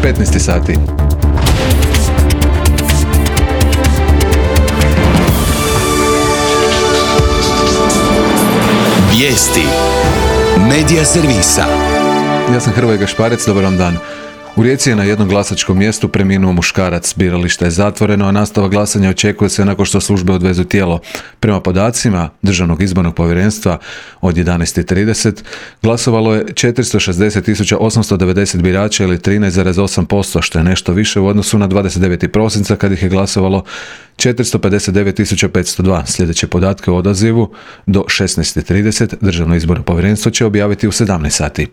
15 sati. Vijesti Medija servisa. Ja sam Hrvoje Gašparec, dobar vam dan. U Rijeci je na jednom glasačkom mjestu preminuo muškarac. Biralište je zatvoreno, a nastavak glasanja očekuje se nakon što službe odvezu tijelo. Prema podacima Državnog izbornog povjerenstva od 11:30 glasovalo je 460.890 birača ili 13,8%, što je nešto više u odnosu na 29. prosinca kad ih je glasovalo 459.502. Sljedeće podatke o odazivu do 16:30 Državno izborno povjerenstvo će objaviti u 17 sati.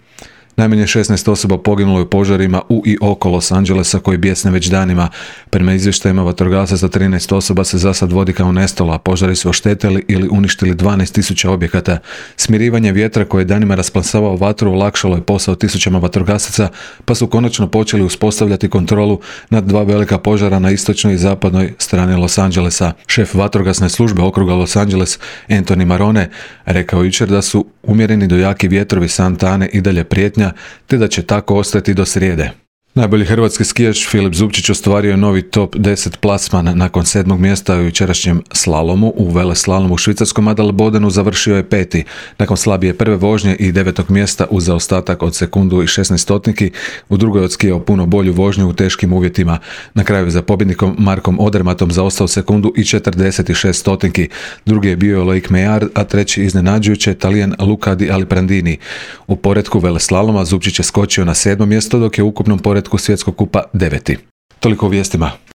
Najmanje 16 osoba poginulo je u požarima u i oko Los Angelesa koji bijesne već danima. Prema izvještajima vatrogasaca 13 osoba se zasad vodi kao nestalo, a požari su oštetili ili uništili 12.000 objekata. Smirivanje vjetra koje je danima rasplamsavao vatru olakšalo je posao tisućama vatrogasaca, pa su konačno počeli uspostavljati kontrolu nad dva velika požara na istočnoj i zapadnoj strani Los Angelesa. Šef vatrogasne službe okruga Los Angeles, Anthony Marone, rekao jučer da su umjereni do jaki vjetrovi Santa Ane i dalje prijetnja, te da će tako ostati do srijede. Najbolji hrvatski skijaš Filip Zubčić ostvario je novi top 10 plasman nakon 7. mjesta u jučerašnjem slalomu. U veleslalomu u švicarskom Adelbodenu završio je 5. Nakon slabije prve vožnje i 9. mjesta uz zaostatak od sekundu i 16 stotniki, u drugoj je odskijao puno bolju vožnju u teškim uvjetima. Na kraju za pobjednikom Markom Odermatom zaostao sekundu i 46 stotinki. Drugi je bio Loic Meillard, a treći iznenađujuće Talijan Luca Di Alprandini. U poretku veleslaloma Zubčić je skočio na 7. mjesto, dok je u ukupnom poretku svjetskog kupa 9. Toliko u vijestima.